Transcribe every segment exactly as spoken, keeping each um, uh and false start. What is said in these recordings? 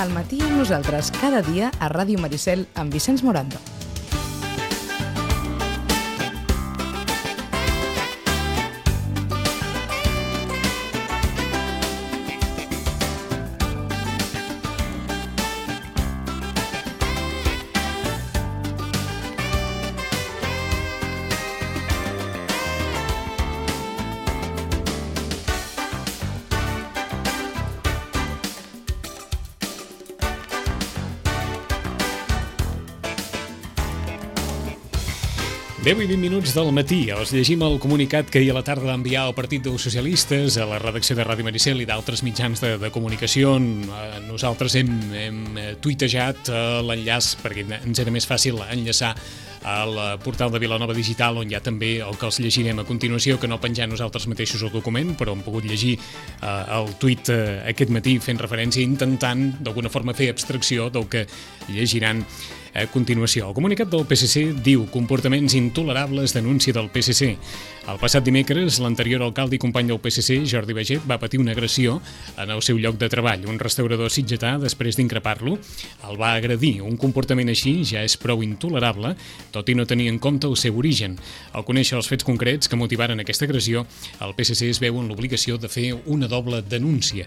Al matí amb nosaltres cada dia a Ràdio Maricel amb Vicenç Morando. deu i vint minuts del matí. Els llegim el comunicat que ahir a la tarda va enviar el Partit dels Socialistes a la redacció de Ràdio Maricel i d'altres mitjans de, de comunicació. Nosaltres hem, hem tuitejat l'enllaç perquè ens era més fàcil enllaçar al portal de Vilanova Digital, on hi ha també el que els llegirem a continuació, que no penjar nosaltres mateixos el document, però hem pogut llegir eh, el tuit eh, aquest matí fent referència, intentant d'alguna forma fer abstracció del que llegiran a continuació. El comunicat del P S C diu comportaments intolerables, denúncia del P S C. El passat dimecres, l'anterior alcalde i company del P S C, Jordi Baget, va patir una agressió en el seu lloc de treball. Un restaurador sitgetà, després d'increpar-lo, el va agredir. Un comportament així ja és prou intolerable, tot i no tenir en compte el seu origen. Al conèixer els fets concrets que motivaren aquesta agressió, el P S C es veu en l'obligació de fer una doble denúncia.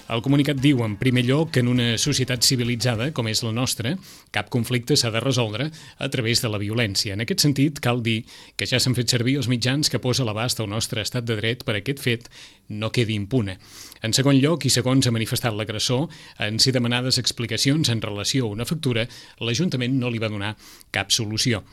El comunicat diu, en primer lloc, que en una societat civilitzada, com és la nostra, cap conflicte s'ha de resoldre a través de la violència. En aquest sentit, cal dir que ja s'han fet servir els mitjans que posa a l'abast el nostre estat de dret per a aquest fet no quedi impune. En segon lloc, i segons ha manifestat l'agressor, en ser demanades explicacions en relació a una factura, l'Ajuntament no li va donar cap solució.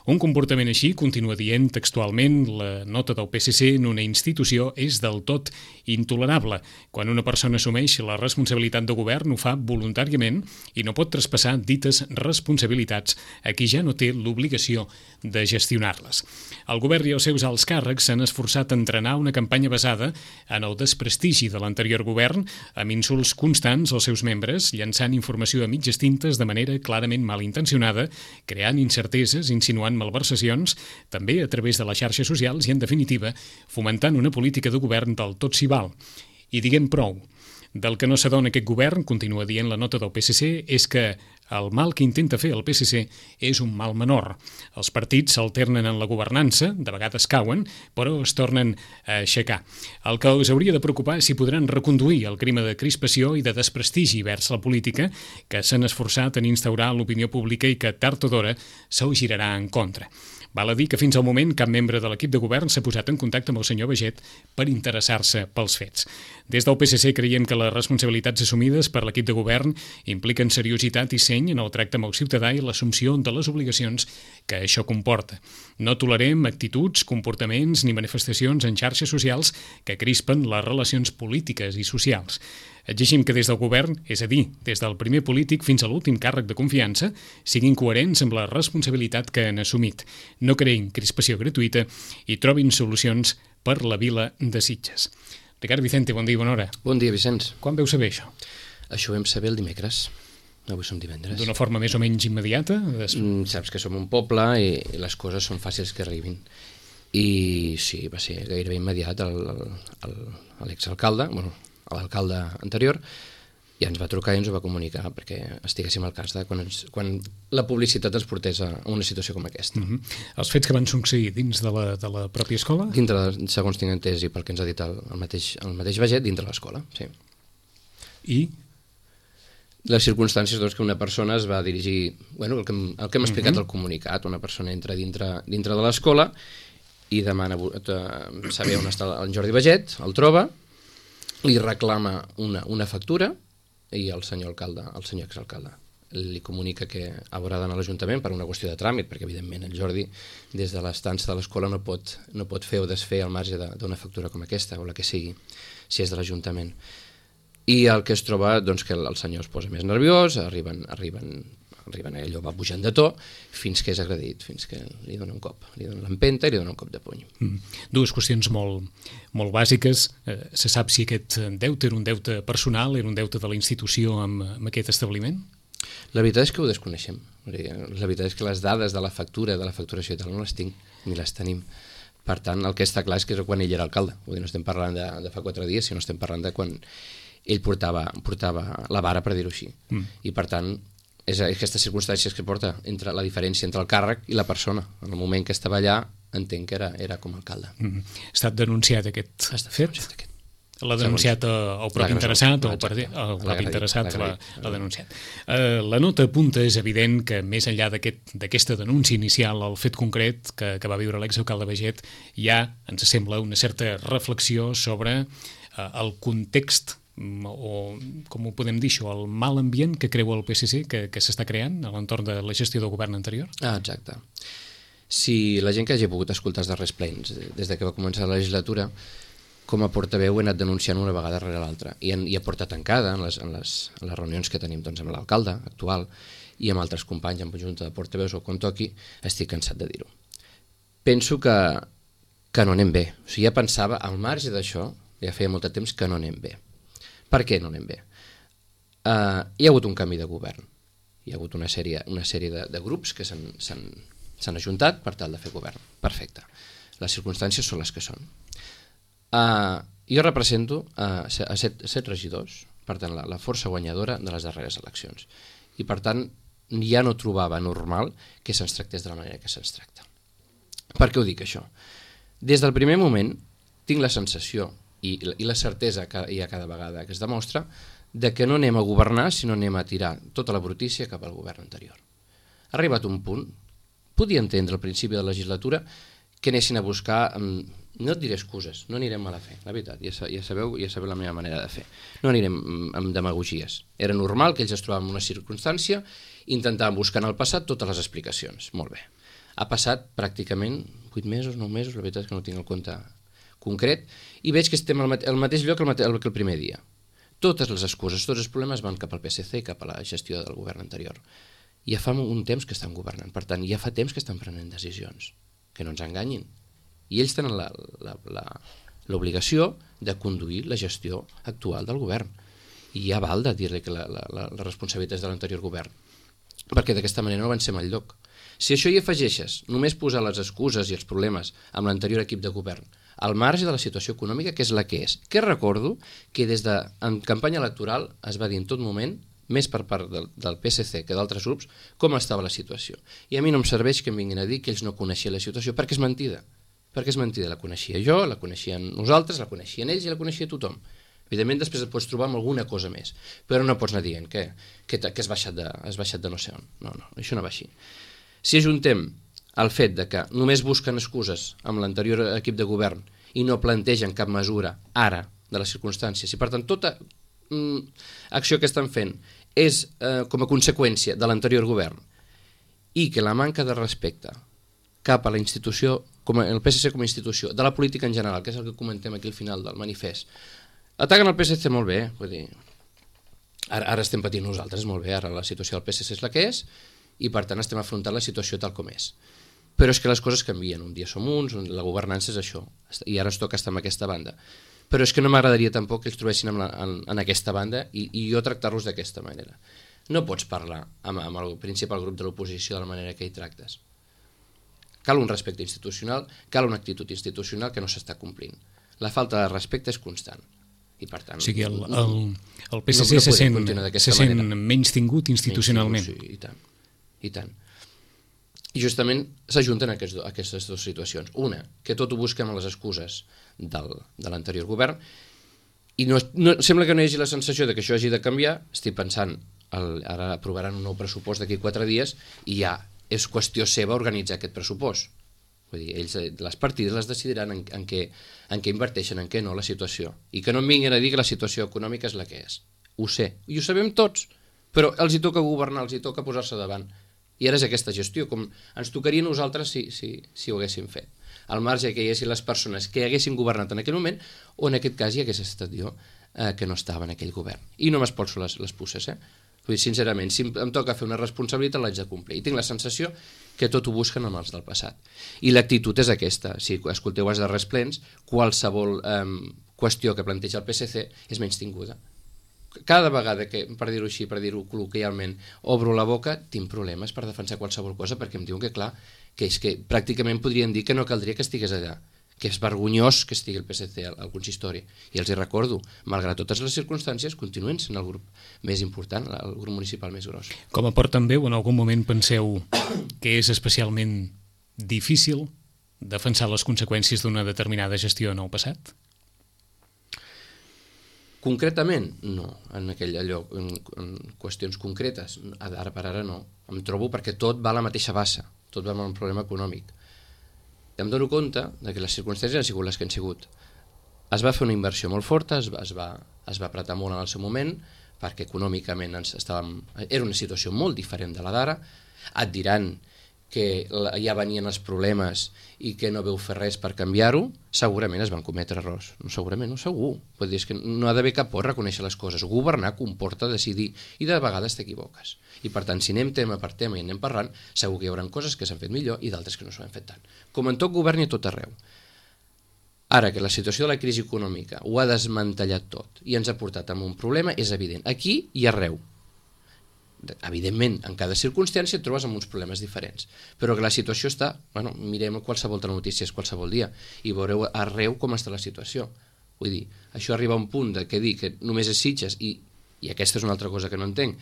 Un comportament així, continua dient textualment la nota del P S C, en una institució és del tot intolerable. Quan una persona assumeix la responsabilitat de govern ho fa voluntàriament i no pot traspassar dites responsabilitats a qui ja no té l'obligació de gestionar-les. El govern i els seus alts càrrecs s'han esforçat a entrenar una campanya basada en el desprestigi de l'anterior govern, amb insults constants als seus membres, llançant informació a mitges tintes de manera clarament malintencionada, creant incerteses, insinuant malversacions, també a través de les xarxes socials i, en definitiva, fomentant una política de govern del tot s'hi val. I diguem prou. Del que no s'adona aquest govern, continua dient la nota del P S C, és que el mal que intenta fer el P S C és un mal menor. Els partits s'alternen en la governança, de vegades cauen, però es tornen a aixecar. El que us hauria de preocupar és si podran reconduir el clima de crispació i de desprestigi vers la política que s'han esforçat en instaurar l'opinió pública i que tard o d'hora se'l girarà en contra. Val a dir que fins al moment cap membre de l'equip de govern s'ha posat en contacte amb el senyor Baget per interessar-se pels fets. Des del P S C creiem que les responsabilitats assumides per l'equip de govern impliquen seriositat i seny en el tracte amb el ciutadà i l'assumpció de les obligacions que això comporta. No tolerem actituds, comportaments ni manifestacions en xarxes socials que crispen les relacions polítiques i socials. Exigim que des del govern, és a dir, des del primer polític fins a l'últim càrrec de confiança, siguin coherents amb la responsabilitat que han assumit. No creïn crispació gratuïta i trobin solucions per la vila de Sitges. Ricard Vicente, bon dia i bona hora. Bon dia, Vicenç. Quan veu saber això? Això ho vam saber el dimecres. Avui som divendres. D'una forma més o menys immediata? Mm, saps que som un poble i les coses són fàcils que arribin. I sí, va ser gairebé immediat. L'exalcalde, bueno, l'alcalde anterior, i ens va trucar i ens ho va comunicar perquè estiguéssim al cas de quan, ens, quan la publicitat ens portés a una situació com aquesta. Uh-huh. Els fets que van succeir dins de la, de la pròpia escola? Dintre, segons tinc entès i pel que ens ha dit el, el, mateix, el mateix Baget, dintre l'escola, sí. I? Les circumstàncies doncs, que una persona es va dirigir, bueno, el que, el que hem explicat al uh-huh. comunicat, una persona entra dintre, dintre de l'escola i demana saber on està el Jordi Baget, el troba, li reclama una, una factura i el senyor alcalde, el senyor exalcalde, li comunica que haurà d'anar a l'Ajuntament per una qüestió de tràmit, perquè evidentment el Jordi des de l'estança de l'escola no pot, no pot fer o desfer al marge d'una factura com aquesta o la que sigui, si és de l'Ajuntament. I el que es troba, doncs, que el senyor es posa més nerviós, arriben, arriben, arriben allò va pujant de to, fins que és agredit, fins que li dona un cop, li dona l'empenta i li dona un cop de puny. Mm. Dues qüestions molt, molt bàsiques. Eh, se sap si aquest deute era un deute personal, era un deute de la institució amb, amb aquest establiment? La veritat és que ho desconeixem. La veritat és que les dades de la factura, de la facturació i tal, no les tinc, ni les tenim. Per tant, el que està clar és que és quan ell era alcalde. Vull dir, no estem parlant de, de fa quatre dies, sinó estem parlant de quan ell portava, portava la vara, per dir-ho així. Mm. I per tant, és aquestes circumstàncies que porta entre la diferència entre el càrrec i la persona. En el moment que estava allà, entenc que era, era com a alcalde. Mm. Ha estat denunciat aquest ha estat fet? Denunciat aquest. L'ha denunciat el propi interessat o el, partit, el propi interessat l'ha denunciat. Uh, la nota apunta, és evident, que més enllà d'aquesta aquest, denúncia inicial, el fet concret que, que va viure l'exalcalde Baiget, ja ens sembla una certa reflexió sobre uh, el context o, com ho podem dir això, el mal ambient que creu el P S C que, que s'està creant a l'entorn de la gestió del govern anterior? Ah, exacte. Si la gent que hagi pogut escoltar els darrers plens des de que va començar la legislatura, com a portaveu he anat denunciant una vegada rere l'altra i, en, i a porta tancada en les, en les, en les reunions que tenim doncs, amb l'alcalde actual i amb altres companys en junta de portaveus o quan toqui, estic cansat de dir-ho. Penso que, que no anem bé. O sigui, ja pensava, al marge d'això, ja feia molt de temps que no anem bé. Per què no anem bé? Uh, hi ha hagut un canvi de govern. Hi ha hagut una sèrie, una sèrie de, de grups que s'han ajuntat per tal de fer govern. Perfecte. Les circumstàncies són les que són. Uh, jo represento uh, a set, set regidors, per tant la, la força guanyadora de les darreres eleccions, i per tant ja no trobava normal que se'ns tractés de la manera que se'ns tracta. Per què ho dic això? Des del primer moment tinc la sensació i, i la certesa que hi ha cada vegada que es demostra de que no anem a governar sinó anem a tirar tota la brutícia cap al govern anterior. Ha arribat un punt, podia entendre al principi de la legislatura que anessin a buscar um, no et diré excuses, no anirem mala fe, la veritat, ja, ja, sabeu, ja sabeu la meva manera de fer. No anirem amb demagogies. Era normal que ells es trobaven en una circumstància, intentaven buscar en el passat totes les explicacions. Molt bé. Ha passat pràcticament vuit mesos, nou mesos, la veritat és que no tinc el compte concret, i veig que estem al, mate al mateix lloc que el, mate el, que el primer dia. Totes les excuses, tots els problemes van cap al P S C i cap a la gestió del govern anterior. Ja fa un temps que estan governant, per tant, ja fa temps que estan prenent decisions. Que no ens enganyin. I ells tenen l'obligació de conduir la gestió actual del govern. I ja val de dir-li que la, la, la, la responsabilitat és de l'anterior govern, perquè d'aquesta manera no avancem al lloc. Si això hi afegeixes només posar les excuses i els problemes amb l'anterior equip de govern al marge de la situació econòmica, que és la que és, que recordo que des de en campanya electoral es va dir en tot moment, més per part del, del P S C que d'altres grups, com estava la situació. I a mi no em serveix que em vinguin a dir que ells no coneixien la situació, perquè és mentida. Perquè és mentida, la coneixia jo, la coneixien nosaltres, la coneixien ells i la coneixia tothom. Evidentment després et pots trobar amb alguna cosa més, però no pots anar dient que, que, que has, baixat de, has baixat de no sé on. No, no, això no va així. Si ajuntem el fet de que només busquen excuses amb l'anterior equip de govern i no plantegen cap mesura ara de les circumstàncies, i per tant tota mm, acció que estan fent és eh, com a conseqüència de l'anterior govern, i que la manca de respecte cap a la institució, com a, el P S C com a institució, de la política en general, que és el que comentem aquí al final del manifest, ataquen el P S C molt bé, vull dir, ara, ara estem patint nosaltres molt bé, ara la situació del P S C és la que és, i per tant estem afrontant la situació tal com és. Però és que les coses canvien, un dia som uns, la governança és això, i ara ens toca estar en aquesta banda. Però és que no m'agradaria tampoc que ells trobessin en, la, en, en aquesta banda i, i jo tractar-los d'aquesta manera. No pots parlar amb, amb el principal grup de l'oposició de la manera que hi tractes. Cal un respecte institucional, cal una actitud institucional que no s'està complint. La falta de respecte és constant. I per tant, o sigui, el, el, el P S C no, no se sent, se sent menys tingut institucionalment. Menys tingut, sí, i tant. I tant. I justament s'ajunten aquests, aquestes dues situacions. Una, que tot ho busquem a les excuses del, de l'anterior govern, i no, no, sembla que no hi hagi la sensació de que això hagi de canviar. Estic pensant, el, ara aprovaran un nou pressupost d'aquí quatre dies i ja és qüestió seva organitzar aquest pressupost. Vull dir, ells, les partides les decidiran en, en, què, en què inverteixen, en què no, la situació. I que no em vinguin a dir que la situació econòmica és la que és. Ho sé, i ho sabem tots, però els hi toca governar, els hi toca posar-se davant. I ara és aquesta gestió, com ens tocaria a nosaltres si, si, si ho haguéssim fet. Al marge que hi haguessin les persones que haguessin governat en aquell moment, o en aquest cas hi hagués estat jo eh, que no estava en aquell govern. I no m'espolso les, les puces, eh? Vull dir, sincerament, si em toca fer una responsabilitat l'haig de complir. I tinc la sensació que tot ho busquen amb els del passat. I l'actitud és aquesta. Si escolteu els darrers plens, qualsevol eh, qüestió que planteja el P S C és menys tinguda. Cada vegada que, per dir-ho així, per dir-ho col·loquialment, obro la boca, tinc problemes per defensar qualsevol cosa, perquè em diuen que, clar, que és que pràcticament podrien dir que no caldria que estigués allà, que és vergonyós que estigui el P S C al, al consistori. I els hi recordo, malgrat totes les circumstàncies, continuen sent el grup més important, el grup municipal més gros. Com a portaveu, en algun moment penseu que és especialment difícil defensar les conseqüències d'una determinada gestió en el passat? Concretament, no. En aquell allò, en, en qüestions concretes, ara per ara no. Em trobo perquè tot va a la mateixa bassa, tot va amb un problema econòmic. Em dono compte de que les circumstàncies han sigut les que han sigut. Es va fer una inversió molt forta, es va, es va, es va apretar molt en el seu moment, perquè econòmicament ens estàvem, era una situació molt diferent de la d'ara. Et diran que ja venien els problemes i que no veu fer res per canviar-ho, segurament es van cometre errors. No, segurament no, segur. Vull dir, és que no ha d'haver cap por reconèixer les coses. Governar comporta decidir i de vegades t'equivoques. I per tant, si anem tema per tema i anem parlant, segur que hi haurà coses que s'han fet millor i d'altres que no s'han fet tant. Com en tot govern i a tot arreu. Ara que la situació de la crisi econòmica ho ha desmantellat tot i ens ha portat a un problema, és evident. Aquí i arreu. Evidentment, en cada circumstància et trobes amb uns problemes diferents, però que la situació està, bueno, mirem qualsevol notícies qualsevol dia i veureu arreu com està la situació. Vull dir, això arriba a un punt de que dir que només és Sitges i, i aquesta és una altra cosa que no entenc,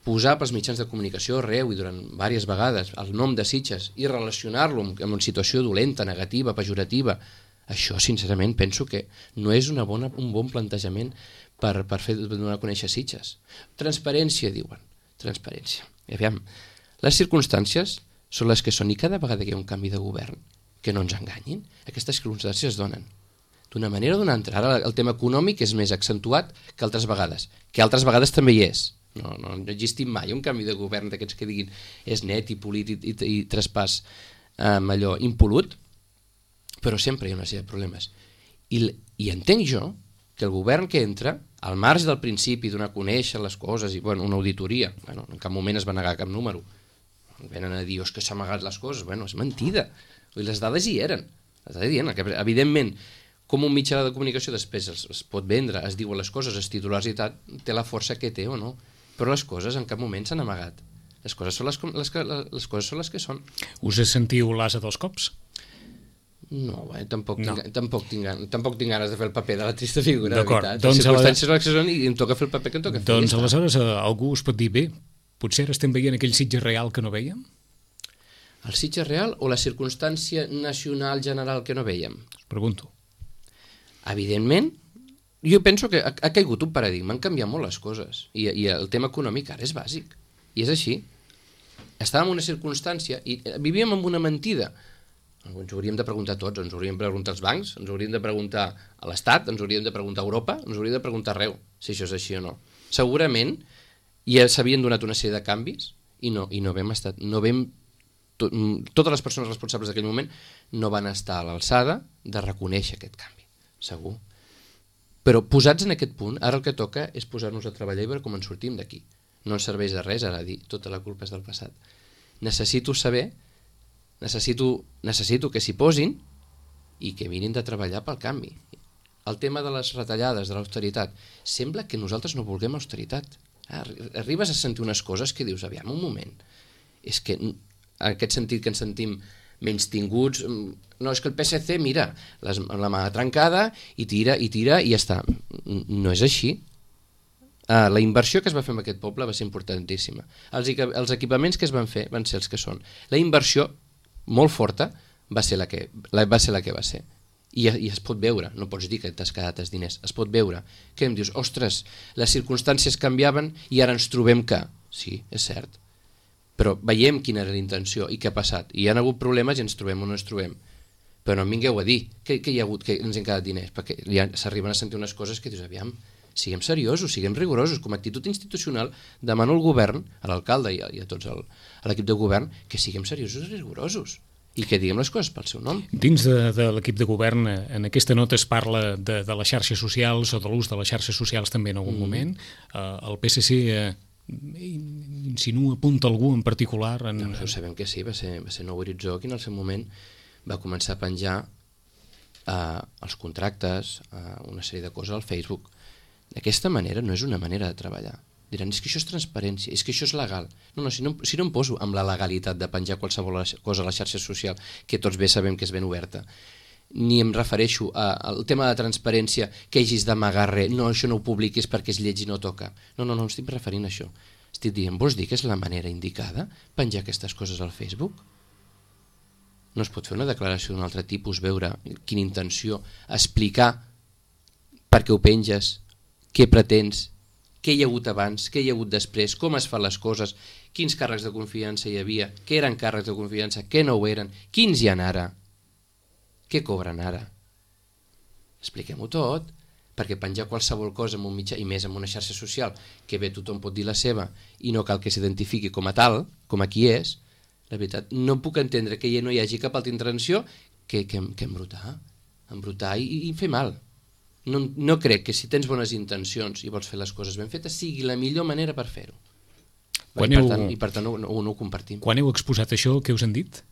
posar pels mitjans de comunicació arreu i durant diverses vegades el nom de Sitges i relacionar-lo amb, amb una situació dolenta, negativa, pejorativa, això sincerament penso que no és una bona, un bon plantejament per, per fer donar a conèixer Sitges. Transparència, diuen. Transparència. I aviam, les circumstàncies són les que són i cada vegada que hi ha un canvi de govern, que no ens enganyin, aquestes circumstàncies es donen. D'una manera o d'una altra. Ara el tema econòmic és més accentuat que altres vegades, que altres vegades també hi és. No, no, no ha existit mai un canvi de govern d'aquests que diguin és net i polític i, i traspàs amb eh, allò impolut, però sempre hi ha una sèrie de problemes. I, i entenc jo que el govern que entra, al marge del principi donar a conèixer les coses i bueno, una auditoria, bueno, en cap moment es va negar cap número, venen a dir que s'ha amagat les coses, bueno, és mentida, les dades hi eren, les dades hi eren, que, evidentment, com un mitjà de comunicació després es, es pot vendre, es diuen les coses, els titulars i tal, té la força que té o no, però les coses en cap moment s'han amagat, les coses són les, les, les, coses són les que són. Us sentiu l'ase dels cops? No, eh, tampoc, no. Tinc, tampoc, tinc, tampoc tinc ganes de fer el paper de la trista figura, de veritat. Doncs les circumstàncies són les que són i em toca fer el paper que em toca fer. Doncs aleshores algú us pot dir, bé, potser ara estem veient aquell Sitges real que no vèiem? El Sitges real o la circumstància nacional general que no vèiem? Us pregunto. Evidentment, jo penso que ha, ha caigut un paradigma, han canviat molt les coses i, i el tema econòmic ara és bàsic i és així. Estàvem en una circumstància i vivíem amb una mentida. Ens hauríem de preguntar tots, ens hauríem de preguntar als bancs, ens hauríem de preguntar a l'Estat, ens hauríem de preguntar a Europa, ens hauríem de preguntar arreu, si això és així o no. Segurament ja s'havien donat una sèrie de canvis i no, i no vam estar, no vam, to, totes les persones responsables d'aquell moment no van estar a l'alçada de reconèixer aquest canvi, segur. Però posats en aquest punt, ara el que toca és posar-nos a treballar i veure com ens sortim d'aquí. No ens serveix de res ara dir tota la culpa és del passat. Necessito saber Necessito, necessito que s'hi posin i que mirin de treballar pel canvi. El tema de les retallades, de l'austeritat, sembla que nosaltres no vulguem austeritat. Arribes a sentir unes coses que dius, aviam, un moment, és que en aquest sentit que ens sentim menys tinguts, no, és que el P S C, mira, les, la mà trencada i tira, i tira, i ja està. No és així. Ah, la inversió que es va fer en aquest poble va ser importantíssima. Els, els equipaments que es van fer van ser els que són. La inversió molt forta va ser la que la, va ser la que va ser I, i es pot veure, no pots dir que t'has quedat els diners, es pot veure que em dius, ostres, les circumstàncies canviaven i ara ens trobem que sí, és cert, però veiem quina era la intenció i què ha passat, i hi ha hagut problemes i ens trobem o no ens trobem, però no em vingueu a dir que, que hi ha hagut, que ens hem quedat diners, perquè ja s'arriben a sentir unes coses que dius, aviam, siguem seriosos, siguem rigorosos, com a actitud institucional demano al govern, a l'alcalde i a, i a tots el, a l'equip de govern, que siguem seriosos i rigorosos i que diguem les coses pel seu nom. Dins de, de l'equip de govern, en aquesta nota es parla de, de les xarxes socials o de l'ús de les xarxes socials també en algun mm. moment. Uh, el P S C uh, insinua, apunta algú en particular? En... No, no, sabem que sí, va ser, va ser Nou Horitzó qui en el seu moment va començar a penjar uh, els contractes, uh, una sèrie de coses al Facebook. D'aquesta manera no és una manera de treballar. Diran, és que això és transparència, és que això és legal. No, no, si no, si no em poso amb la legalitat de penjar qualsevol cosa a la xarxa social, que tots bé sabem que és ben oberta, ni em refereixo a- al tema de transparència, que hagis d'amagar res, no, això no ho publiquis perquè és lleig i no toca. No, no, no, estic referint a això. Estic dient, vols dir que és la manera indicada penjar aquestes coses al Facebook? No es pot fer una declaració d'un altre tipus, veure quina intenció, explicar per què ho penges, què pretens, què hi ha hagut abans, què hi ha hagut després, com es fan les coses, quins càrrecs de confiança hi havia, què eren càrrecs de confiança, què no ho eren, quins hi ha ara, què cobren ara. Expliquem-ho tot, perquè penjar qualsevol cosa en un mitjà, i més en una xarxa social, que bé tothom pot dir la seva i no cal que s'identifiqui com a tal, com a qui és, la veritat, no puc entendre que no hi hagi cap altra intenció que, que, que embrutar, embrutar i, i fer mal. No, no crec que si tens bones intencions i vols fer les coses ben fetes sigui la millor manera per fer-ho. I, heu... per tant, I per tant no, no, no ho compartim. Quan heu exposat això, què us han dit?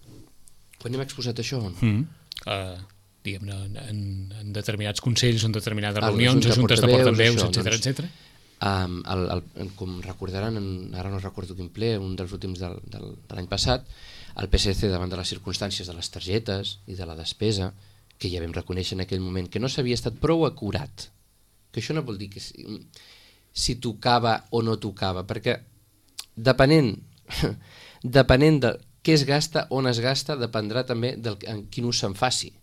Quan hem exposat això? Mm. Uh, diguem-ne, en, en determinats consells, en determinades Ah, reunions, junta de juntes de portaveus, portaveus, això, etcètera, doncs. etcètera. Um, el, el, com recordaran, en, ara no recordo quin ple, un dels últims del, del, de l'any passat, el P S C, davant de les circumstàncies de les targetes i de la despesa, que ja vam reconèixer en aquell moment que no s'havia estat prou acurat, que això no vol dir que si, si tocava o no tocava, perquè depenent, depenent de què es gasta, on es gasta, dependrà també del, en quin ús se'n faci.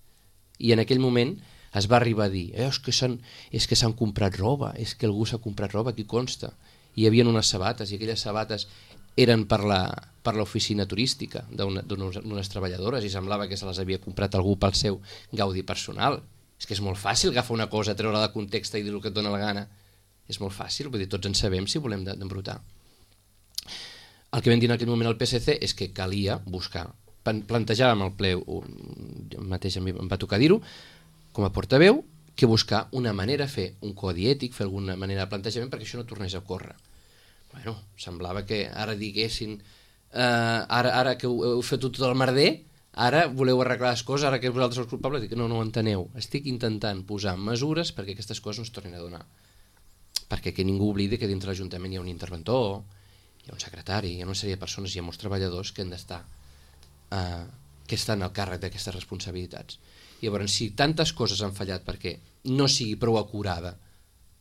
I en aquell moment es va arribar a dir eh, és que s'han és que s'han comprat roba, és que algú s'ha comprat roba, aquí consta. Hi havia unes sabates i aquelles sabates eren per la per l'oficina turística d'unes treballadores i semblava que se les havia comprat algú pel seu gaudi personal. És que és molt fàcil agafar una cosa, treure-la de context i dir el que et dona la gana. És molt fàcil, vull dir, tots en sabem si volem d'embrutar. El que vam dir en aquell moment al P S C és que calia buscar, plantejàvem al ple, mateix a mi em va tocar dir-ho, com a portaveu, que buscar una manera, fer un codi ètic, fer alguna manera de plantejament perquè això no tornés a córrer. Bueno, semblava que ara diguessin, eh, ara, ara que heu, heu fet tot el merder, ara voleu arreglar les coses, ara que vosaltres sou culpables, dic, no, no ho enteneu. Estic intentant posar mesures perquè aquestes coses no es tornin a donar. Perquè que ningú oblidi que dintre l'Ajuntament hi ha un interventor, hi ha un secretari, hi ha una sèrie de persones, hi ha molts treballadors que han d'estar, eh, que estan al càrrec d'aquestes responsabilitats. I llavors, si tantes coses han fallat perquè no sigui prou acurada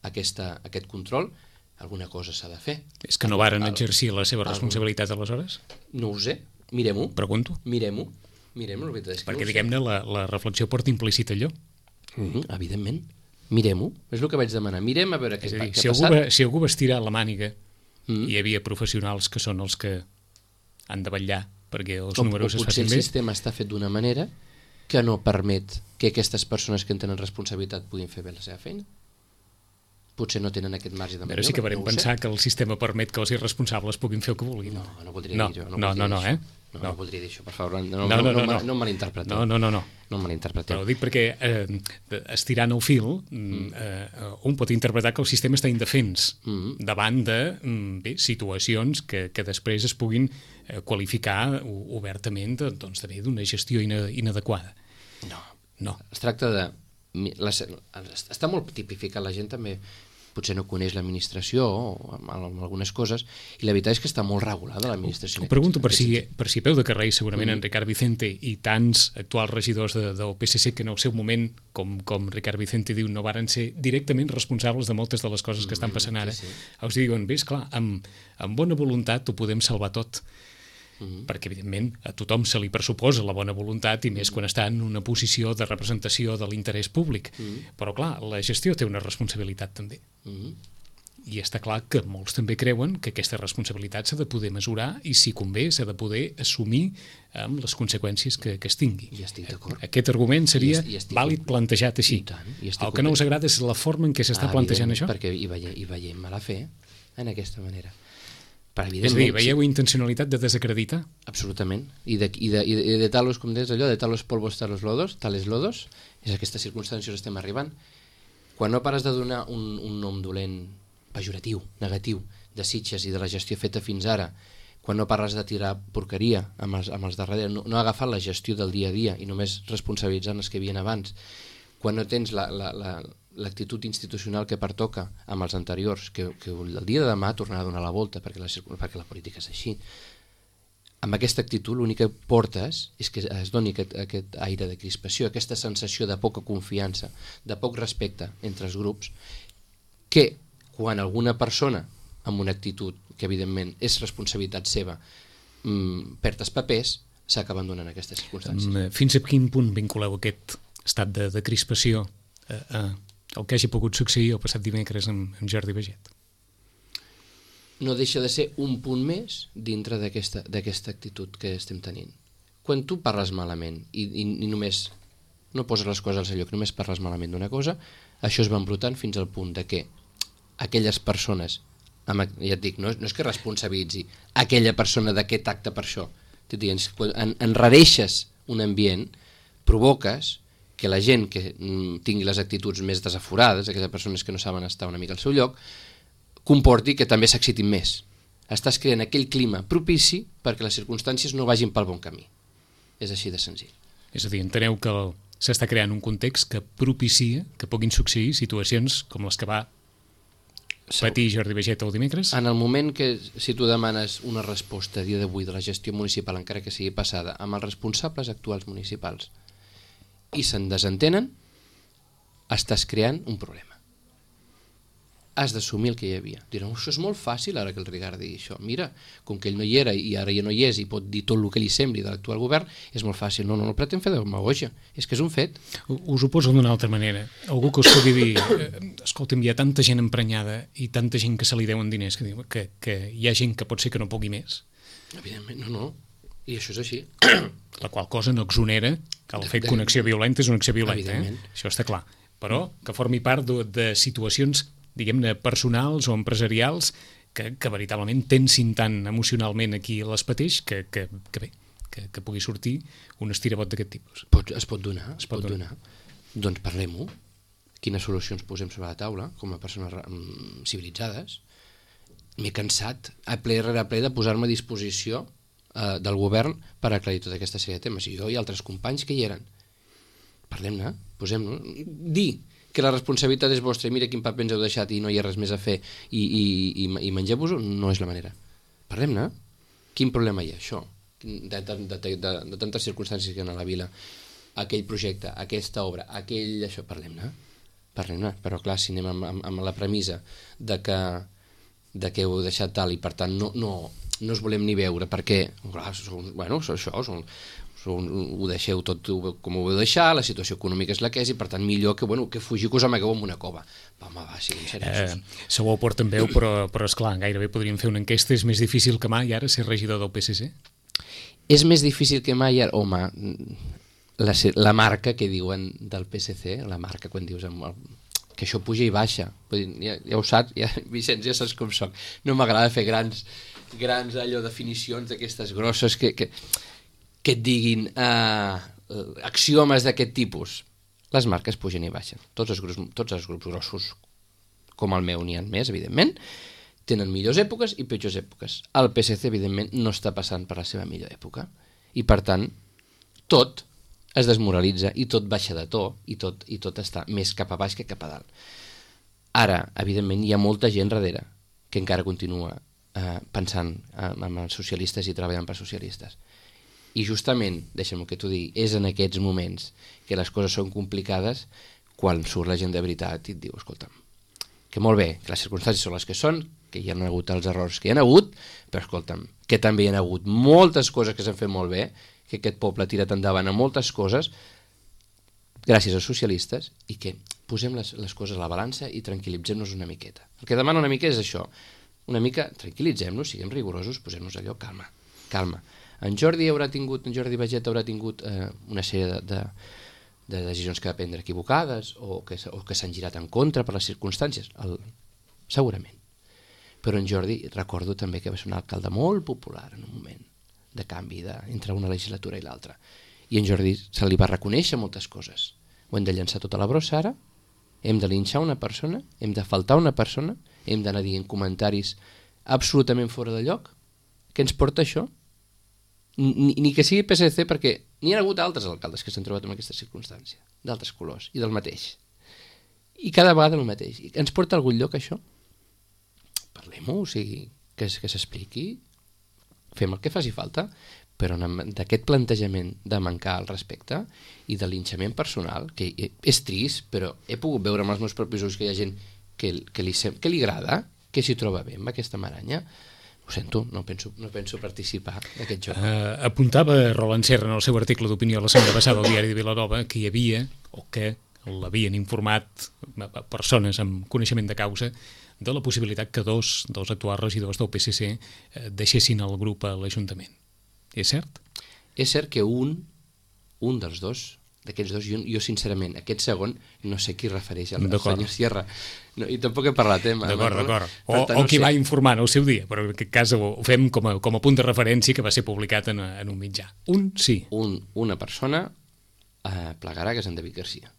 aquesta, aquest control, alguna cosa s'ha de fer. És que no varen exercir la seva responsabilitat aleshores? No ho sé, mirem-ho. Pregunto. Mirem-ho, mirem-ho. Perquè, diguem-ne, la, la reflexió porta implícit allò. Mm -hmm, evidentment. Mirem-ho, és el que vaig demanar. Mirem a veure què, dir, què si ha algú passat. va, si algú va estirar la màniga, mm. hi havia professionals que són els que han de vetllar perquè els o, números o es potser facin el bé. sistema està fet d'una manera que no permet que aquestes persones que en tenen responsabilitat puguin fer bé la seva feina. Potser no tenen aquest marge de maniobra. Però sí que varem no pensar que el sistema permet que els irresponsables puguin fer el que vulguin. No, no voldria no, dir això. No, no, no, no, eh? No, no. no voldria dir això, per favor. No, no, no, no, no, no, no em malinterpreteu. No, no, no, no. No em malinterpreteu. Però ho dic perquè, eh, estirant el fil, mm. eh, un pot interpretar que el sistema està indefens mm. davant de bé, situacions que, que després es puguin eh, qualificar obertament doncs, també d'una gestió inadequada. No. No. Es tracta de... Les, està molt tipificat, la gent també potser no coneix l'administració o amb, amb algunes coses, i la veritat és que està molt regulada l'administració. Ho pregunto per si, per si peu de carrer, segurament mm. en Ricard Vicente i tants actuals regidors de, del P S C que en el seu moment, com, com Ricard Vicente diu, no varen ser directament responsables de moltes de les coses que estan passant ara. Sí, sí. Us diuen, bé, esclar, amb, amb bona voluntat ho podem salvar tot. Mm-hmm. Perquè, evidentment, a tothom se li pressuposa la bona voluntat i més quan està en una posició de representació de l'interès públic. Mm-hmm. Però, clar, la gestió té una responsabilitat també. Mm-hmm. I està clar que molts també creuen que aquesta responsabilitat s'ha de poder mesurar i, si convé, s'ha de poder assumir amb les conseqüències que, que es tingui. I estic d'acord. Aquest argument seria I estic, vàlid plantejat així. Tant, el que no us agrada és la forma en què s'està ah, plantejant això? Perquè hi veiem, hi veiem mala fe en aquesta manera. És a dir, veieu intencionalitat de desacreditar? Absolutament. I de, i de, i de, i de talos, com deies allò, de talos polvos, talos lodos, tales lodos, és a aquestes circumstàncies estem arribant. Quan no pares de donar un, un nom dolent, pejoratiu, negatiu, de Sitges i de la gestió feta fins ara, quan no parles de tirar porqueria amb els, amb els darrere, no, no agafar la gestió del dia a dia i només responsabilitzant els que havien abans, quan no tens la... la, la l'actitud institucional que pertoca amb els anteriors, que, que el dia de demà tornarà a donar la volta perquè la, perquè la política és així. amb aquesta actitud l'únic que portes és que es doni aquest, aquest aire de crispació, aquesta sensació de poca confiança, de poc respecte entre els grups, que quan alguna persona amb una actitud que evidentment és responsabilitat seva mmm, perd els papers, s'acaba abandonant aquestes circumstàncies. Fins a quin punt vinculeu aquest estat de, de crispació a, a el que hagi pogut succeir el passat dimecres amb, amb Jordi Baiget? No deixa de ser un punt més dintre d'aquesta d'aquesta actitud que estem tenint. Quan tu parles malament i, i, i només no poses les coses al seu lloc, només parles malament d'una cosa, això es va embrutant fins al punt de que aquelles persones, amb, ja et dic, no, no és que responsabilitzi aquella persona d'aquest acte per això, t'ho dic, quan en, enrareixes un ambient, provoques que la gent que mm, tingui les actituds més desaforades, aquelles persones que no saben estar una mica al seu lloc, comporti que també s'excitin més. Estàs creant aquell clima propici perquè les circumstàncies no vagin pel bon camí. És així de senzill. És a dir, enteneu que el, s'està creant un context que propicia que puguin succeir situacions com les que va patir Jordi Baiget el dimecres? En el moment que, si tu demanes una resposta a dia d'avui de la gestió municipal, encara que sigui passada, amb els responsables actuals municipals, i se'n desentenen, estàs creant un problema. Has d'assumir el que hi havia. Diran, això és molt fàcil ara que el Ricard digui això. Mira, com que ell no hi era i ara ja no hi és i pot dir tot el que li sembli de l'actual govern, és molt fàcil. No, no, no pretén fer demagogia. És que és un fet. Us ho poso d'una altra manera. Algú que us pugui dir, eh, escolta'm, hi ha tanta gent emprenyada i tanta gent que se li deuen diners que, que, que hi ha gent que pot ser que no pugui més. Evidentment, no, no. I això és així. La qual cosa no exonera que el fet que una acció violenta és una acció violenta. Eh? Això està clar. Però que formi part de, de situacions diguem-ne, personals o empresarials que, que veritablement tensin tant emocionalment aquí les pateix que, que, que bé, que, que pugui sortir un estirabot d'aquest tipus. Pot, es pot donar, es, es pot, pot donar. donar. Doncs parlem-ho. Quines solucions posem sobre la taula com a persones um, civilitzades. M'he cansat a ple rere ple de posar-me a disposició uh, del govern per aclarir tota aquesta sèrie de temes. I jo i altres companys que hi eren. Parlem-ne, posem-ne. Dir que la responsabilitat és vostra i mira quin paper ens heu deixat i no hi ha res més a fer i, i, i, i mengeu-vos-ho, no és la manera. Parlem-ne. Quin problema hi ha, això? De, de, de, de, de tantes circumstàncies que hi ha a la vila, aquell projecte, aquesta obra, aquell... això, parlem-ne. Parlem-ne. Però clar, si anem amb, amb, amb la premissa de que, de que heu deixat tal i per tant no, no, no us volem ni veure perquè, clar, són, bueno, això són... ho deixeu tot com ho heu deixat, la situació econòmica és la que és i per tant millor que, bueno, que fugiu que us amagueu en una cova. Va, home, va, siguin seriosos. Eh, segur ho porten veu, però, però esclar, gairebé podríem fer una enquesta. És més difícil que mai ara ser regidor del P S C? És més difícil que mai ara, home, la, la marca que diuen del P S C, la marca quan dius amb el, que això puja i baixa, ja, ja ho saps, ja, Vicenç, ja saps com soc, no m'agrada fer grans, grans allò definicions d'aquestes grosses que... que que et diguin eh, axiomes d'aquest tipus. Les marques pugen i baixen. Tots els grups, tots els grups grossos, com el meu, n'hi ha més, evidentment, tenen millors èpoques i pitjors èpoques. El P S C, evidentment, no està passant per la seva millor època. I, per tant, tot es desmoralitza i tot baixa de to i tot, i tot està més cap a baix que cap a dalt. Ara, evidentment, hi ha molta gent darrere que encara continua eh, pensant en els socialistes i treballant per socialistes. I justament, deixa'm que t'ho digui, és en aquests moments que les coses són complicades quan surt la gent de veritat i et diu, escolta'm, que molt bé, que les circumstàncies són les que són, que hi ha hagut els errors que hi ha hagut, però escolta'm, que també hi ha hagut moltes coses que s'han fet molt bé, que aquest poble ha tirat endavant a moltes coses gràcies als socialistes i que posem les, les coses a la balança i tranquil·litzem-nos una miqueta. El que demano una mica és això, una mica tranquil·litzem-nos, siguem rigorosos, posem-nos allò, calma, calma. En Jordi haurà tingut, en Jordi Baiget haurà tingut eh, una sèrie de, de, de decisions que va prendre equivocades o que, o que s'han girat en contra per les circumstàncies, el, segurament. Però en Jordi recordo també que va ser un alcalde molt popular en un moment de canvi de, entre una legislatura i l'altra. I en Jordi se li va reconèixer moltes coses. Ho hem de llançar tota la brossa ara, hem de linxar una persona, hem de faltar una persona, hem d'anar dient comentaris absolutament fora de lloc. Què ens porta això? Ni, ni que sigui P S C, perquè n'hi ha hagut altres alcaldes que s'han trobat en aquesta circumstància, d'altres colors i del mateix. I cada vegada el mateix. I ens porta a algun lloc això? Parlem-ho, o sigui, que, que s'expliqui, fem el que faci falta, però d'aquest plantejament de mancar al respecte i de linxament personal, que és trist, però he pogut veure amb els meus propis ulls que hi ha gent que, que, li, que li agrada, que s'hi troba bé amb aquesta maranya. Ho sento, no penso, no penso participar d'aquest joc. Uh, apuntava Roland Serra en el seu article d'opinió la setmana passada al diari de Vilanova que hi havia, o que l'havien informat persones amb coneixement de causa, de la possibilitat que dos dels actuals regidors del P S C eh, deixessin el grup a l'Ajuntament. És cert? És cert que un, un dels dos, d'aquests dos, jo, jo sincerament, aquest segon, no sé qui refereix al senyor Sierra, no, i tampoc he parlat, eh? D'acord, d'acord. O, o qui no va informar en el seu dia, però en aquest cas ho fem com a, com a punt de referència que va ser publicat en, en un mitjà. Un sí. Un, una persona eh, plegarà, que és en David Garcia.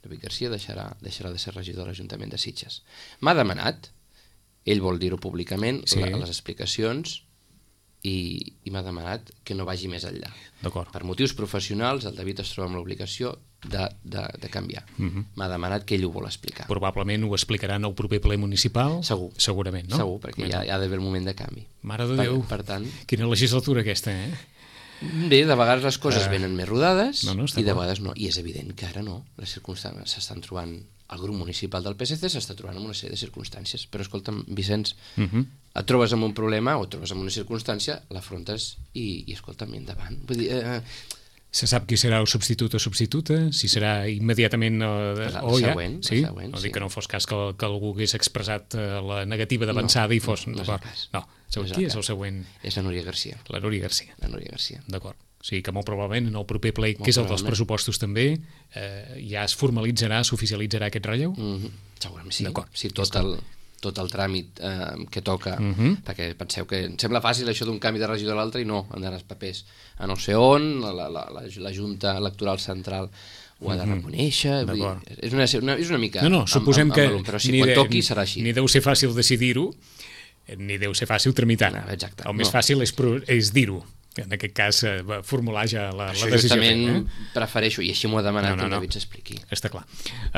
David Garcia deixarà, deixarà de ser regidor de l'Ajuntament de Sitges. M'ha demanat, ell vol dir-ho públicament, sí. la, les explicacions, i, i m'ha demanat que no vagi més enllà. Per motius professionals, el David es troba amb l'obligació de, de, de canviar. Uh-huh. M'ha demanat que ell ho vol explicar. Probablement ho explicarà en el proper ple municipal? Segur. Segurament, no? Segur, perquè ja, ja ha d'haver el moment de canvi. Mare de Déu, per, per tant, quina legislatura aquesta, eh? Bé, de vegades les coses uh, venen més rodades no, no, i de vegades no. I és evident que ara no. Les circumstàncies s'estan trobant... El grup municipal del P S C s'està trobant en una sèrie de circumstàncies. Però escolta'm, Vicenç, uh -huh. et trobes amb un problema o et trobes amb una circumstància, l'afrontes i, i escolta'm, endavant. Vull dir... Eh, Se sap qui serà el substitut o substituta? Si serà immediatament o, la, o ja? Següent, sí? La següent, no sí. dic que no fos cas que, que algú hagués expressat la negativa d'avançada no, i fos... No, no és el cas. No, no és qui és el següent? És la Núria Garcia. La Núria Garcia. La Núria Garcia. D'acord. O sigui que molt probablement en el proper ple, que és el dels pressupostos també, eh, ja es formalitzarà, s'oficialitzarà aquest relleu? Mm-hmm. Segurament sí. Sí, tot el, tot el tràmit eh, que toca, mm-hmm. perquè penseu que em sembla fàcil això d'un canvi de regidor a l'altre i no, han d'anar els papers a no sé on, la, la, la, la Junta Electoral Central ho ha de reconèixer, vull dir, és, una, una, és una mica... No, no, suposem amb, amb, amb, que... però si quan de, toqui serà així. Ni deu ser fàcil decidir-ho, ni deu ser fàcil tramitar. No, exacte. El més no. fàcil és, és dir-ho. En aquest cas, eh, formular ja la, això la decisió. Això justament eh? prefereixo, i així m'ho ha demanat no, no, que el no. David s'expliqui. Està clar.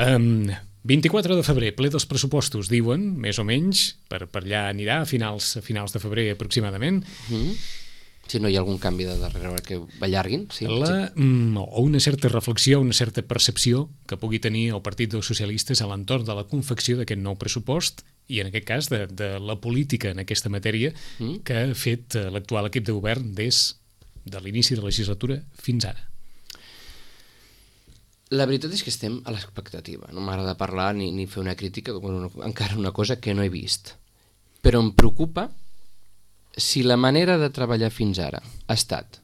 Um, vint-i-quatre de febrer, ple dels pressupostos, diuen, més o menys, per, per allà anirà, a finals, a finals de febrer aproximadament. Mm-hmm. Si no hi ha algun canvi de darrere que allarguin. Sí, la, sí. Mm, o una certa reflexió, una certa percepció que pugui tenir el Partit dels Socialistes a l'entorn de la confecció d'aquest nou pressupost i en aquest cas de, de la política en aquesta matèria mm. que ha fet l'actual equip de govern des de l'inici de la legislatura fins ara. La veritat és que estem a l'expectativa. No m'agrada parlar ni, ni fer una crítica, bueno, encara una cosa que no he vist. Però em preocupa si la manera de treballar fins ara ha estat,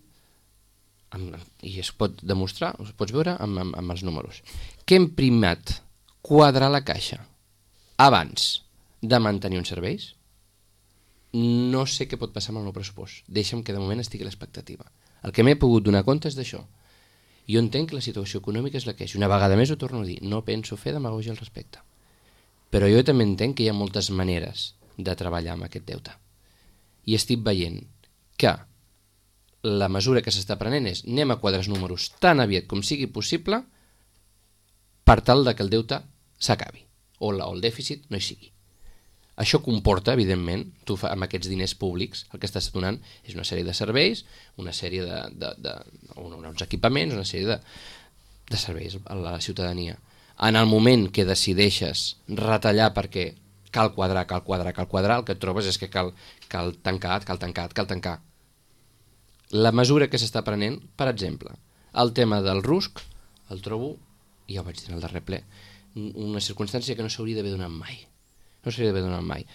amb, i es pot demostrar, es pots veure amb, amb, amb els números, que hem primat quadrar la caixa abans de mantenir uns serveis, no sé què pot passar amb el nou pressupost. Deixa'm que de moment estigui a l'expectativa. El que m'he pogut donar compte és d'això. Jo entenc que la situació econòmica és la que és. Una vegada més ho torno a dir, no penso fer demagògia al respecte. Però jo també entenc que hi ha moltes maneres de treballar amb aquest deute. I estic veient que la mesura que s'està prenent és anem a quadrar els números tan aviat com sigui possible per tal de que el deute s'acabi o, la, o el dèficit no hi sigui. Això comporta, evidentment, tu fa, amb aquests diners públics el que estàs donant és una sèrie de serveis, una sèrie de, de, de, de uns equipaments, una sèrie de, de serveis a la ciutadania. En el moment que decideixes retallar perquè cal quadrar, cal quadrar, cal quadrar, el que et trobes és que cal, cal tancar, cal tancar, cal tancar. La mesura que s'està prenent, per exemple, el tema del rusc, el trobo, ja ho vaig dir en el darrer ple, una circumstància que no s'hauria d'haver donat mai. No s'hauria d'haver donat mai.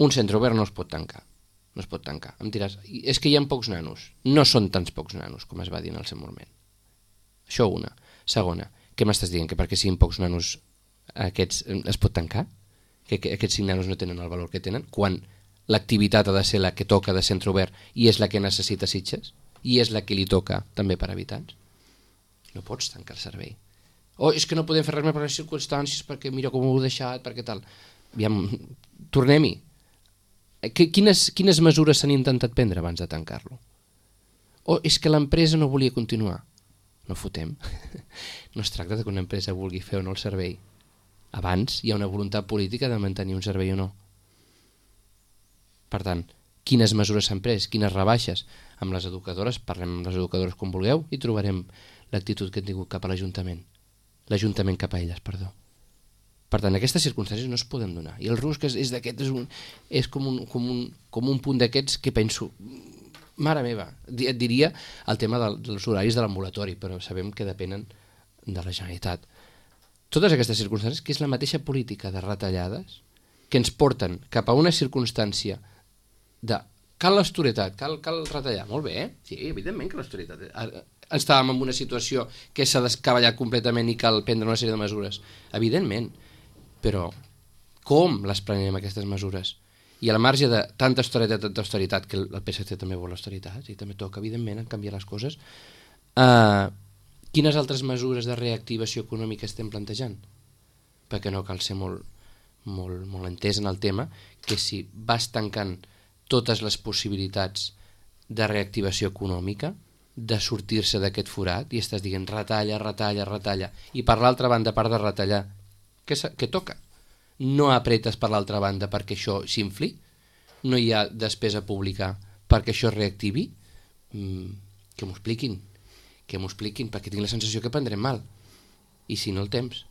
Un centre obert no es pot tancar. No es pot tancar. Em diràs, és que hi ha pocs nanos. No són tants pocs nanos, com es va dir en el seu moment. Això una. Segona, què m'estàs dient? Que perquè siguin pocs nanos aquests es pot tancar? Que, que aquests cinc nanos no tenen el valor que tenen? Quan l'activitat ha de ser la que toca de centre obert i és la que necessita Sitges? I és la que li toca també per habitants? No pots tancar el servei. Oh, és que no podem fer res més per les circumstàncies perquè mira com ho heu deixat, perquè tal... Aviam, tornem-hi. Quines, quines mesures s'han intentat prendre abans de tancar-lo? O és que l'empresa no volia continuar. No fotem. No es tracta de que una empresa vulgui fer o no el servei. Abans hi ha una voluntat política de mantenir un servei o no. Per tant, quines mesures s'han pres, quines rebaixes. Amb les educadores, parlem amb les educadores com vulgueu i trobarem l'actitud que han tingut cap a l'Ajuntament. L'Ajuntament cap a elles, perdó. Per tant, aquestes circumstàncies no es poden donar. I el rusc és, és d'aquest, és, un, és com, un, com, un, com un punt d'aquests que penso, mare meva, et diria el tema dels horaris de l'ambulatori, però sabem que depenen de la Generalitat. Totes aquestes circumstàncies, que és la mateixa política de retallades, que ens porten cap a una circumstància de cal l'austeritat, cal, cal retallar. Molt bé, eh? Sí, evidentment que l'austeritat. Estàvem en una situació que s'ha descavallat completament i cal prendre una sèrie de mesures. Evidentment. Però com les prenem aquestes mesures? I al marge de tanta austeritat, tanta austeritat, que el P S C també vol austeritat, i també toca, evidentment, canviar les coses, eh, quines altres mesures de reactivació econòmica estem plantejant? Perquè no cal ser molt, molt, molt entès en el tema, que si vas tancant totes les possibilitats de reactivació econòmica, de sortir-se d'aquest forat, i estàs dient retalla, retalla, retalla, i per l'altra banda, a part de retallar, què, què toca? No apretes per l'altra banda perquè això s'infli? No hi ha despesa pública perquè això es reactivi? Mm, que m'ho expliquin, que m'ho expliquin, perquè tinc la sensació que prendrem mal. I si no el temps,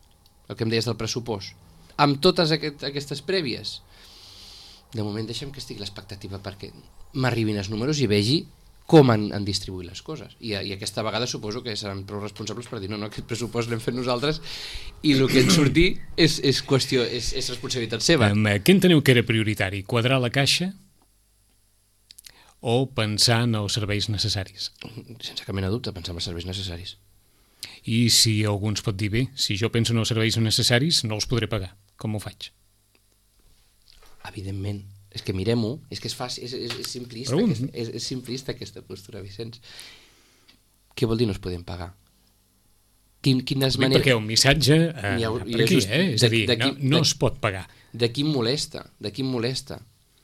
el que em deies del pressupost, amb totes aquest, aquestes prèvies, de moment deixem que estigui l'expectativa perquè m'arribin els números i vegi com han, han distribuït les coses. I, I aquesta vegada suposo que seran prou responsables per dir no, no, aquest pressupost l'hem fet nosaltres i el que ens surti és, és qüestió, és, és responsabilitat seva. Um, què enteneu que era prioritari? Quadrar la caixa o pensar en els serveis necessaris? Sense cap mena de dubte, pensar en els serveis necessaris. I si algú ens pot dir, bé, si jo penso en els serveis necessaris no els podré pagar, com ho faig? Evidentment. És que mirem-ho, és que és fàcil, és, és, és, simplista, aquesta, és, és simplista aquesta postura, Vicenç. Què vol dir no es podem pagar? Quin, quines maneres... Perquè un missatge eh, ha, per aquí, just, eh? És a dir, no, no es pot pagar. De qui em molesta? De qui em molesta?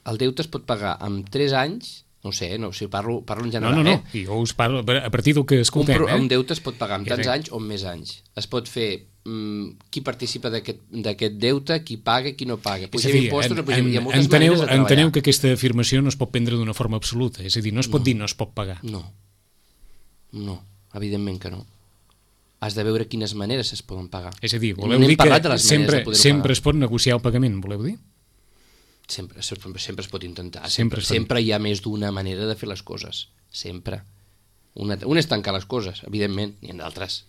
El deute es pot pagar amb tres anys, no sé, no, si parlo, parlo en general. No, no, no, eh? jo us parlo a partir del que escoltem. Un, eh? un deute es pot pagar amb tants anys o amb més anys. Es pot fer qui participa d'aquest deute, qui paga i qui no paga. Pugem dir, impostos, en, pugem, en, hi ha moltes enteneu, maneres de treballar. Enteneu que aquesta afirmació no es pot prendre d'una forma absoluta, és a dir, no es pot no. dir no es pot pagar. No, no, evidentment que no. Has de veure quines maneres es poden pagar. És a dir, voleu no dir que sempre, sempre es pot negociar el pagament, voleu dir? Sempre, sempre es pot intentar. Sempre, sempre, sempre hi ha més d'una manera de fer les coses. Sempre. Una, una és tancar les coses, evidentment, n'hi ha d'altres.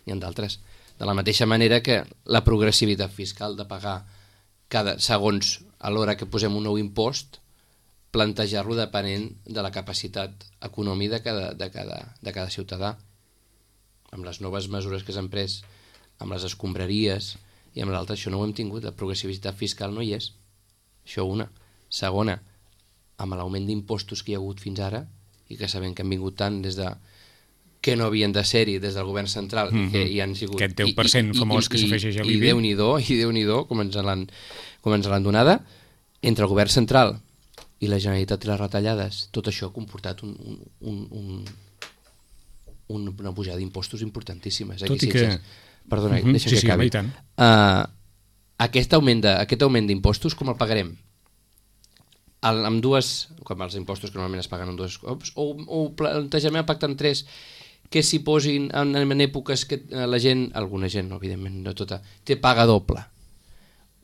N'hi ha d'altres. De la mateixa manera que la progressivitat fiscal de pagar cada segons a l'hora que posem un nou impost, plantejar-lo depenent de la capacitat econòmica de cada, de cada, de cada ciutadà. Amb les noves mesures que s'han pres, amb les escombraries i amb l'altre, això no ho hem tingut, la progressivitat fiscal no hi és. Això una. Segona, amb l'augment d'impostos que hi ha hagut fins ara i que sabem que han vingut tant des de que no havien de ser-hi des del govern central, mm -hmm. que hi han sigut... Aquest deu per cent famós que s'afegeix a l'I B I. I Déu-n'hi-do, i Déu-n'hi-do, com ens l'han donada, entre el govern central i la Generalitat i les retallades, tot això ha comportat un, un, un, un, una pujada d'impostos importantíssimes. Tot i que... Perdona, mm -hmm. deixa sí, que sí, acabi. Sí, uh, aquest augment de, aquest augment d'impostos, com el pagarem? El, amb dues... Com els impostos que normalment es paguen en dos cops, o, o plantejament el pacte en tres, que s'hi posin en, en èpoques que la gent, alguna gent, no, evidentment, no tota, té paga doble.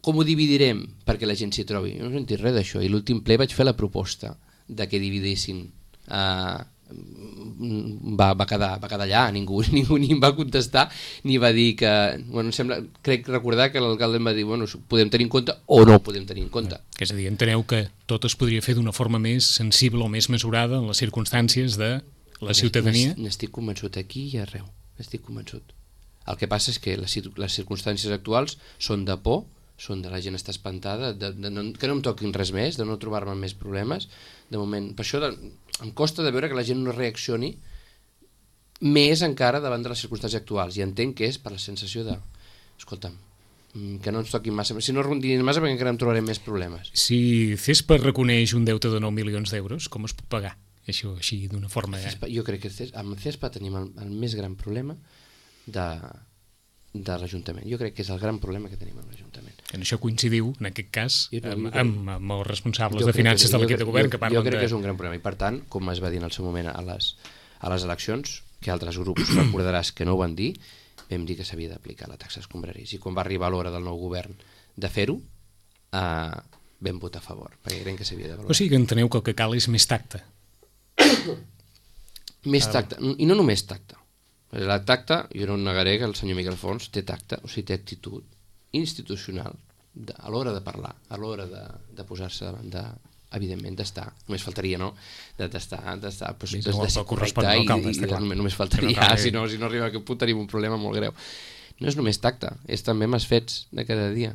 Com ho dividirem perquè la gent s'hi trobi? No he sentit res d'això. I l'últim ple vaig fer la proposta de que dividissin. Uh, va, va, quedar, va quedar allà, ningú, ningú ni em va contestar, ni va dir que... Bueno, sembla, crec recordar que l'alcalde em va dir, bueno, podem tenir en compte o no podem tenir en compte. Que és a dir, enteneu que tot es podria fer d'una forma més sensible o més mesurada en les circumstàncies de la ciutadania? N'estic convençut aquí i arreu, n'estic convençut. El que passa és que les, les circumstàncies actuals són de por, són de la gent està espantada, de, de no, que no em toquin res més, de no trobar-me més problemes. De moment, per això de, em costa de veure que la gent no reaccioni més encara davant de les circumstàncies actuals, i entenc que és per la sensació de, escolta'm, que no ens toquin massa, si no rondinin massa perquè encara em trobarem més problemes. Si CESPA reconeix un deute de nou milions d'euros, com es pot pagar? Això així d'una forma... CESPA, jo crec que CESPA, amb CESPA tenim el, el més gran problema de, de l'Ajuntament. Jo crec que és el gran problema que tenim amb l'Ajuntament. En això coincidiu, en aquest cas, amb, amb, amb els responsables jo de finances que, de l'equip de govern jo, que parlen de... Jo crec de... que és un gran problema i, per tant, com es va dir en el seu moment a les, a les eleccions, que altres grups recordaràs que no ho van dir, vam dir que s'havia d'aplicar la taxa escombraris. I quan va arribar l'hora del nou govern de fer-ho, eh, vam votar a favor, perquè creiem que s'havia de valorar. O sigui que enteneu que el que cal és més tacte. Més tacte, i no només tacte. El tacte, jo no negaré que el senyor Miquel Fons té tacte, o sigui, té actitud institucional de, a l'hora de parlar, a l'hora de, de posar-se davant de, evidentment, d'estar, només faltaria, no?, d'estar, d'estar, pues, de, de ser correcte i, i, i només, només faltaria, no cal, si, no, si no arriba a aquest punt tenim un problema molt greu. No és només tacte, és també amb els fets de cada dia,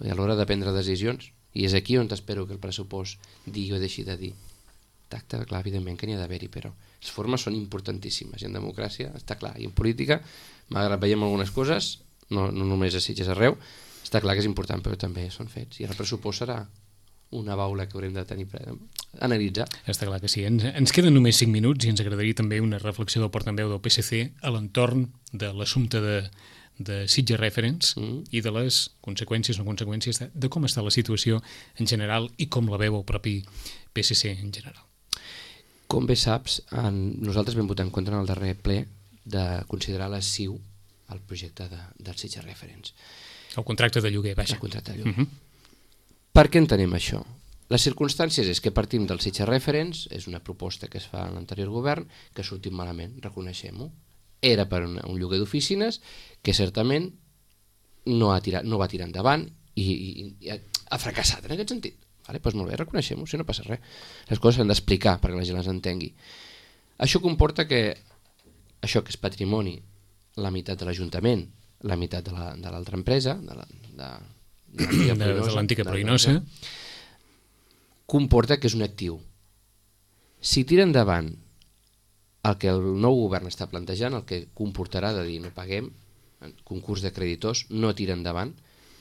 i a l'hora de prendre decisions, i és aquí on espero que el pressupost digui o deixi de dir. Tacte, clar, evidentment que n'hi ha d'haver-hi, però les formes són importantíssimes, i en democràcia està clar, i en política, malgrat veiem algunes coses, no, no només a Sitges, arreu, està clar que és important, però també són fets, i el pressupost serà una baula que haurem de tenir per analitzar. Està clar que sí. Ens, ens queden només cinc minuts i ens agradaria també una reflexió del portaveu del P S C a l'entorn de l'assumpte de, de Sitges Reference mm. i de les conseqüències o no conseqüències de, de com està la situació en general i com la veu el propi P S C en general. Com bé saps, en, nosaltres vam votar en contra en el darrer ple de considerar la S I U el projecte de, del Sitges Reference. El contracte de lloguer, vaja. El contracte de lloguer. Uh -huh. Per què entenem això? Les circumstàncies és que partim del Sitges Reference, és una proposta que es fa en l'anterior govern, que ha sortit malament, reconeixem-ho. Era per una, un lloguer d'oficines que certament no, ha tirat, no va tirar endavant i, i, i ha, ha fracassat en aquest sentit. Vale, doncs molt bé, reconeixem-ho, si no passa res. Les coses s'han d'explicar perquè la gent les entengui. Això comporta que això que és patrimoni, la meitat de l'Ajuntament, la meitat de l'altra empresa, de l'antiga Pruïnosa, comporta que és un actiu. Si tira endavant el que el nou govern està plantejant, el que comportarà de dir no paguem, concurs de creditors, no tira endavant,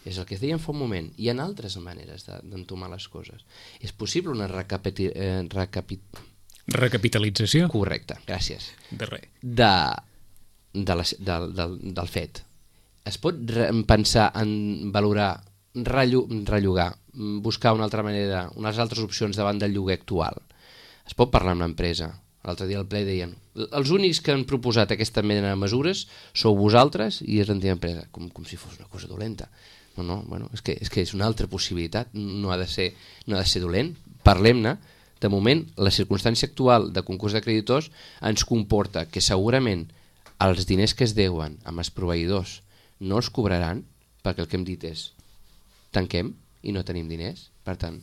és el que es deia fa un moment. Hi ha altres maneres d'entomar les coses. És possible una recapiti... Eh, recapit... recapitalització? Correcte, gràcies. De res. De, de la, de, del, del fet. Es pot re pensar en valorar, rellogar, buscar una altra manera, unes altres opcions davant del lloguer actual. Es pot parlar amb l'empresa. L'altre dia al ple deien els únics que han proposat aquesta mena de mesures sou vosaltres i és l'antiga empresa, com, com si fos una cosa dolenta. No, no, bueno, és que, és que és una altra possibilitat, no ha de ser, no ha de ser dolent. Parlem-ne. De moment, la circumstància actual de concurs de creditors ens comporta que segurament els diners que es deuen amb els proveïdors no els cobraran, perquè el que hem dit és tanquem i no tenim diners. Per tant,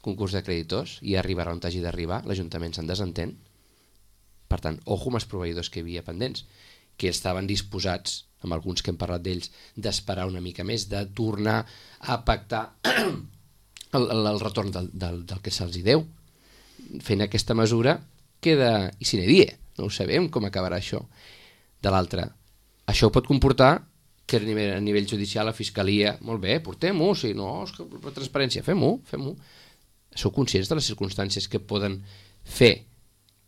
concurs de creditors i arribarà on hagi d'arribar, l'Ajuntament se'n desentén. Per tant, ojo amb els proveïdors que hi havia pendents, que estaven disposats, amb alguns que hem parlat d'ells, d'esperar una mica més, de tornar a pactar el, el, el retorn del, del, del que se'ls hi deu. Fent aquesta mesura queda i sine die, no ho sabem com acabarà això. De l'altra, això pot comportar que a nivell, a nivell judicial la Fiscalia, molt bé, portem-ho, si no, és que per transparència, fem-ho, fem-ho. Sou conscients de les circumstàncies que poden fer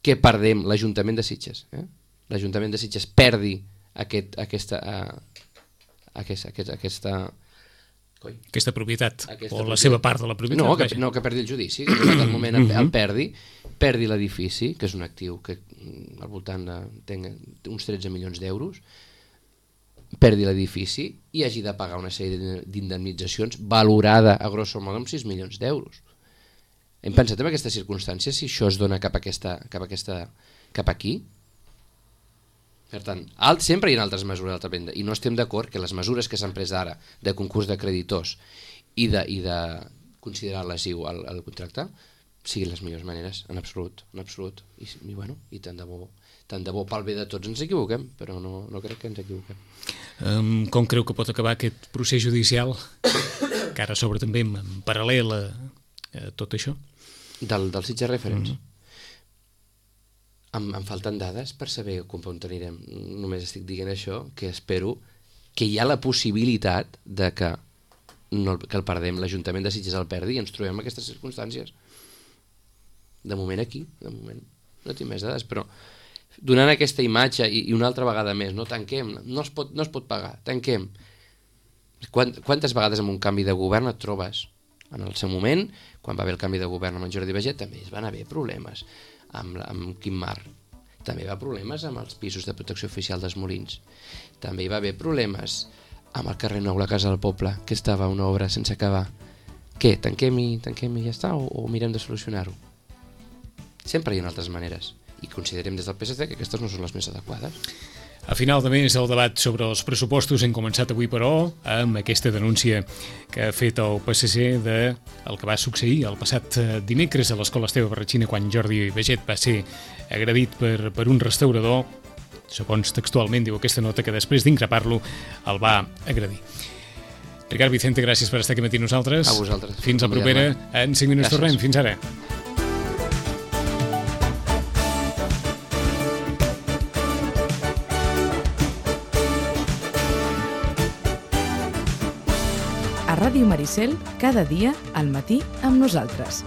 que perdem l'Ajuntament de Sitges, eh? L'Ajuntament de Sitges perdi aquest, aquesta, uh, aquesta, aquesta, aquesta, coi, aquesta propietat, aquesta o propietat. La seva part de la propietat. No, que, no, que perdi el judici, que en el moment el, el perdi, perdi l'edifici, que és un actiu que al voltant de tenga uns tretze milions d'euros, perdi l'edifici i hagi de pagar una sèrie d'indemnitzacions valorada a grosso modo amb sis milions d'euros. Hem pensat en aquestes circumstàncies si això es dona cap a aquesta, cap a aquesta, cap aquí? Per tant, alt, sempre hi ha altres mesures d'altra banda i no estem d'acord que les mesures que s'han pres ara de concurs de creditors i de, i de considerar lesiu al, al contracte siguin les millors maneres, en absolut, en absolut. I, i, bueno, i tant de bo, tant de bo pel bé de tots ens equivoquem, però no, no crec que ens equivoquem. Um, com creu que pot acabar aquest procés judicial que ara s'obre també en, en paral·lel a, a tot això? Del, del Sitges Reference? Mm-hmm. Em, em falten dades per saber com on anirem. Només estic dient això, que espero que hi ha la possibilitat de que, no, que el perdem, l'Ajuntament de Sitges el perdi i ens trobem en aquestes circumstàncies. De moment aquí, de moment no tinc més dades, però donant aquesta imatge i, i una altra vegada més, no tanquem, no es pot, no es pot pagar, tanquem. Quant, quantes vegades amb un canvi de govern et trobes? En el seu moment, quan va haver el canvi de govern amb en Jordi Baiget, també es van haver problemes amb, amb Quim Mar. També hi va problemes amb els pisos de protecció oficial dels Molins. També hi va haver problemes amb el carrer Nou, la Casa del Poble, que estava una obra sense acabar. Què, tanquem i, tanquem i ja està, o, o mirem de solucionar-ho? Sempre hi ha altres maneres, i considerem des del P S C que aquestes no són les més adequades. A final de mes el debat sobre els pressupostos hem començat avui, però, amb aquesta denúncia que ha fet el P S C de el que va succeir el passat dimecres a l'Escola Esteve Barratxina quan Jordi Baiget va ser agredit per, per un restaurador, segons textualment diu aquesta nota, que després d'increpar-lo el va agredir. Ricard Vicente, gràcies per estar aquí matí nosaltres. A vosaltres. Fins la propera. En cinc minuts tornem. Fins ara. A Ràdio Maricel, cada dia al matí amb nosaltres.